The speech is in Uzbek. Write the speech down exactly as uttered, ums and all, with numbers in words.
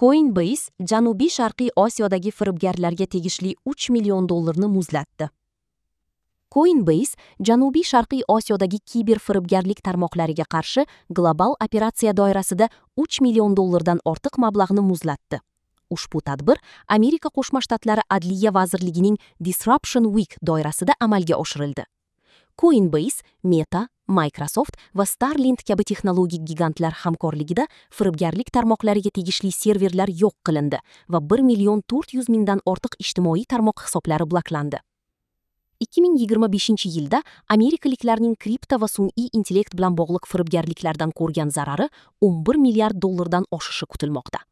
Coinbase Janubiy-Sharqiy Osiyodagi firibgarlarga tegishli uch million dollarni muzlatdi. Coinbase Janubiy-Sharqiy Osiyodagi kiber firibgarlik tarmoqlariga qarshi global operatsiya doirasida uch million dollardan ortiq mablag'ni muzlatdi. Ushbu tadbir Amerika Qo'shma Shtatlari Adliya vazirligining Disruption Week doirasida amalga oshirildi. Coinbase, Meta, Microsoft va Starlink kabi texnologik gigantlar hamkorligida firibgarlik tarmoqlariga tegishli serverlar yo'q qilindi va bir million to'rt yuz mingdan ortiq ijtimoiy tarmoq hisoblari bloklandi. ikki ming yigirma beshinchi yilda amerikaliklarning kripto va sun'iy intellekt bilan bog'liq firibgarliklardan ko'rgan zarari o'n bir milliard dollardan oshishi kutilmoqda.